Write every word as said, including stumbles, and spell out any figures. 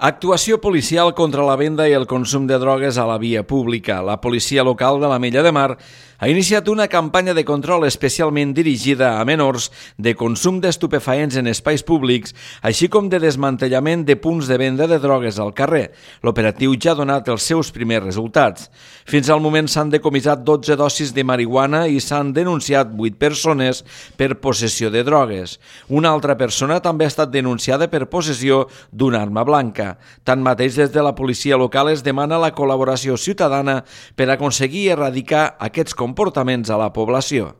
Actuació policial contra la venda i el consum de drogues a la via pública. La policia local de l'Ametlla de Mar ha iniciat una campanya de control especialment dirigida a menors de consum d'estupefaents en espais públics, així com de desmantellament de punts de venda de drogues al carrer. L'operatiu ja ha donat els seus primers resultats. Fins al moment s'han decomissat dotze dosis de marihuana i s'han denunciat vuit persones per possessió de drogues. Una altra persona també ha estat denunciada per possessió d'una arma blanca. Tanmateix, des de la policia local es demana la col·laboració ciutadana per aconseguir erradicar aquests comportaments a la població.